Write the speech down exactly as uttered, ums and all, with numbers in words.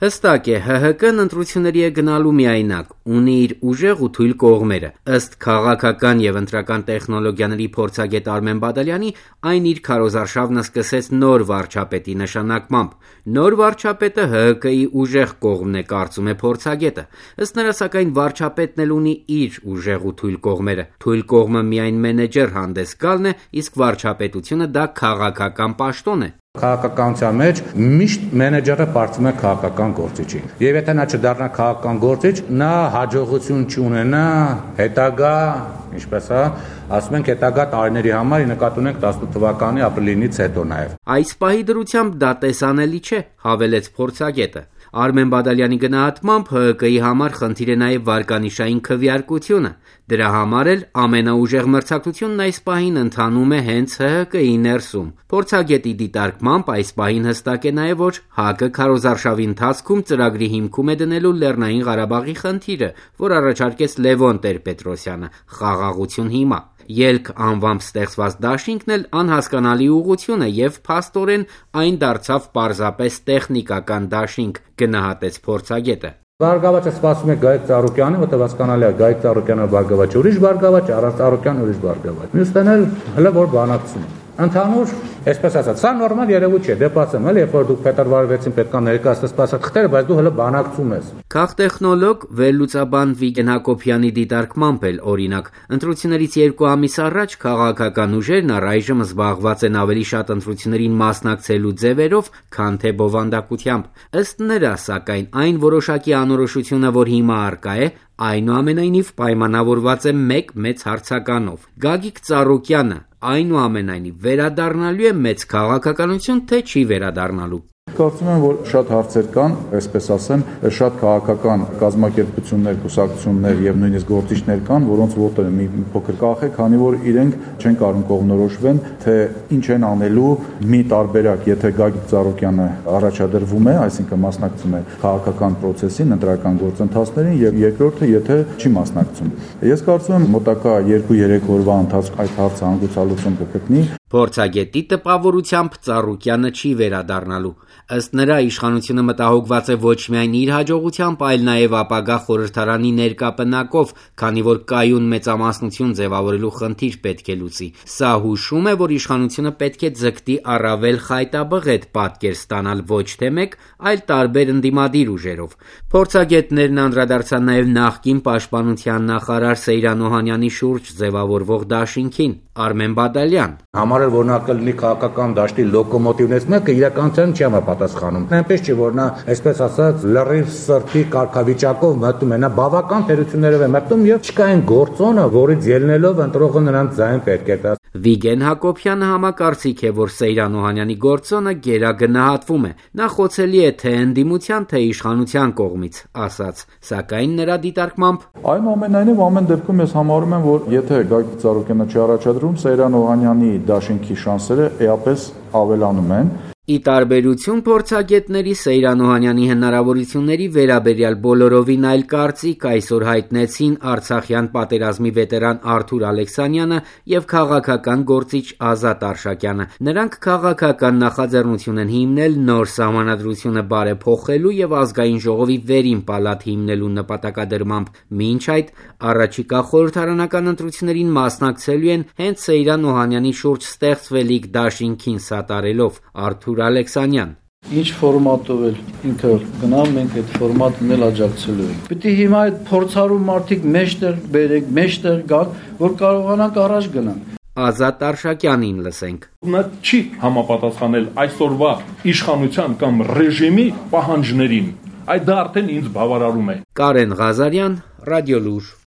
Հստակ է, ՀՀԿ-ն ընտրությունների է գնալու միայնակ, ունի իր ուժեղ ու թույլ կողմերը։ Ըստ քաղաքական եւ ընտրական տեխնոլոգիաների փորձագետ Արմեն Բադալյանի, այն իր քարոզարշավն սկսեց նոր վարչապետի նշանակմամբ։ Նոր վարչապետը ՀՀԿ-ի ուժեղ կողմն է, կարծում է փորձագետը։ Ըստ նրա, սակայն, վարչապետն էլ ունի իր ուժեղ ու թույլ կողմերը։ Թույլ կողմը միայն մենեջեր հանդես գալն է, իսկ վարչապետությունը դա քաղաքական պաշտոն է։ Քաղաքականության մեջ միշտ մենեջերը պարտվում է քաղաքական գործիչի։ Եվ եթե նա չդառնա քաղաքական գործիչ, նա հաջողություն չունենա հետագա, ինչպես է, ասում ենք հետագա տարիների համար, նկատի ունենք տասնութ թվականի ապրիլինից հետո նաև։ Այս պահի դրությամբ դա տեսանելի չէ, հավելեց փորձագետը։ Արմեն Բադալյանի գնահատմամբ ՀՀԿ-ի համար խնդիր է նաև վարկանիշային քվեարկությունը։ Դրա համար էլ ամենաուժեղ մրցակցությունն այս պահին ընթանում է հենց ՀՀԿ-ի ներսում։ Փորձագետի դիտարկմամբ այս պահին հստակ է նաև, որ ՀԱԿ-ը քարոզարշավի ընթացքում ծրագրի հիմքում է դնելու Լեռնային Ղարաբաղի խնդիրը, որ առաջարկեց Լևոն Տեր-Պետրոսյանը՝ խաղաղություն հիմա։ Ելք անվամբ ստեղծված դաշինքն էլ անհասկանալի ուղղություն է եւ փաստորեն այն դարձավ պարզապես տեխնիկական դաշինք, գնահատեց փորձագետը։ Բարգավաճը սպասում է Գայիկ Ծառուկյանին, որտեղ հասկանալի է Գայիկ Ծառուկյանը բարգավաճ ուրիշ բարգավաճ, առանց Ծառուկյան ուրիշ բարգավաճ։ Մյուսն էլ հələ որ բանակցում է։ Ընդհանուր, այսպես ասած, սա նորմալ երևույթ չէ, դեպացում էլ, երբ որ դուք փետրվարի վեցին պետք է ներկայացնես սպասած խտերը, բայց դու հələ բանակցում ես։ Քաղտեխնոլոգ վերլուծաբան Վիգեն Հակոբյանի դիտարկմամբ էլ, օրինակ, ընտրություններից երկու ամիս առաջ քաղաքական ուժերն առայժմ զբաղված են ավելի շատ ընտրություններին մասնակցելու ձևերով, քան թե բովանդակությամբ։ Ըստ նրա, սակայն, այն որոշակի անորոշությունը, որ հիմա առկա է, այնուամենայնիվ պայմանավորված է մեկ մեծ հարցականով։ Գագիկ Ծառուկյանը այնուամենայնիվ վերադառնալու է մեծ քաղաքականություն, թե չի վերադառնալու։ Կարծում եմ, որ շատ հարցեր կան, այսպես ասեմ, շատ քաղաքական կազմակերպություններ, կուսակցություններ եւ նույնիսկ գործիչներ կան, որոնց ոտը մի փոքր կախ է, քանի որ իրենք չեն կարող կողմնորոշվեն, թե ինչ են անելու մի տարբերակ, եթե Գագիկ Ծառուկյանը առաջադրվում է, այսինքն մասնակցում է քաղաքական process-ին, ընտրական գործընթացներին, եւ երկրորդը, եթե չի մասնակցում։ Ես կարծում եմ, մոտակա երկու-երեք օրվա ընթացքում այդ հարցը հանգուցալուծում կգտնի։ Փորձագետի տպավորությամբ Ծառուկյանը չի վերադառնալու։ Ըստ նրա, իշխանությունը մտահոգված է ոչ միայն իր հաջողությամբ, այլ նաև ապագա խորհրդարանի ներկա պնակով, քանի որ կայուն մեծամասնություն ձևավորելու խնդիր պետք է լուծի։ Սա հուշում է, որ իշխանությունը պետք է ձգտի առավել խայտաբղետ պատկեր ստանալ ոչ թե մեկ, այլ տարբեր ընդդիմադիր ուժերով։ Փորձագետներն անդրադարձան նաև նախկին պաշտպանության նախարար Սեյրան Օհանյանի շուրջ ձևավորվող դաշինքին։ Արմեն Բադալյան։ Համարել, որ նա կլինի քաղաքական դաշտի լոկոմոտիվներից մեկը, իրականության չի համապատասխանում։ Այնպես չէ, որ նա, այսպես ասած, լրիվ սրտի կարգավիճակով մտնում է, նա բավական թերություններով է մտնում եւ չկա այն գործոնը, որից ելնելով ընտրողը նրանց ձայն պետք է տա։ Վիգեն Հակոբյանը համակարծիք է, որ Սեյրան Օհանյանի գործոնը գերագնահատվում է։ Նա խոցելի է թե ընդդիմության, թե իշխանության կողմից, ասաց, սակայն նրա դիտարկմամբ այնուամենայնիվ ամեն դեպքում ես համարում եմ, որ եթե Գագիկ Ծառուկյանը չառաջադրում, Սեյրան Օհանյանի դաշինքի շանսերը էապես ավելանում են։ Ի տարբերություն փորձագետների, Սեյրան Օհանյանի հնարավորությունների վերաբերյալ բոլորովին այլ կարծիք այսօր հայտնեցին Արցախյան պատերազմի վետերան Արթուր Ալեքսանյանը եւ քաղաքական գործիչ Ազատ Արշակյանը։ Նրանք քաղաքական նախաձեռնություն են հիմնել նոր սահմանադրությունը բարեփոխելու եւ ազգային ժողովի վերին պալատ հիմնելու նպատակադրմամբ։ Մինչ այդ առաջիկա խորհրդարանական ընտրություններին մասնակցելու են հենց Սեյրան Օհանյանի շուրջ ստեղծվելիք դաշինքին սատարելով։ Արթուր Ալեքսանյան։ Ինչ ֆորմատով էլ ինքը գնա, մենք այդ ֆորմատն էլ աջակցելու ենք։ Պիտի հիմա այդ փորձառու մարդիկ մեջտեղ բերենք, մեջտեղ գան, որ կարողանանք առաջ գնալ։ Ազատ Արշակյանին լսենք։ Նա չի համապատասխանել այսօրվա իշխանության կամ ռեժիմի պահանջներին։ Այդ դա արդեն ինձ բավարարում է։ Կարեն Ղազարյան, Ռադիոլուր։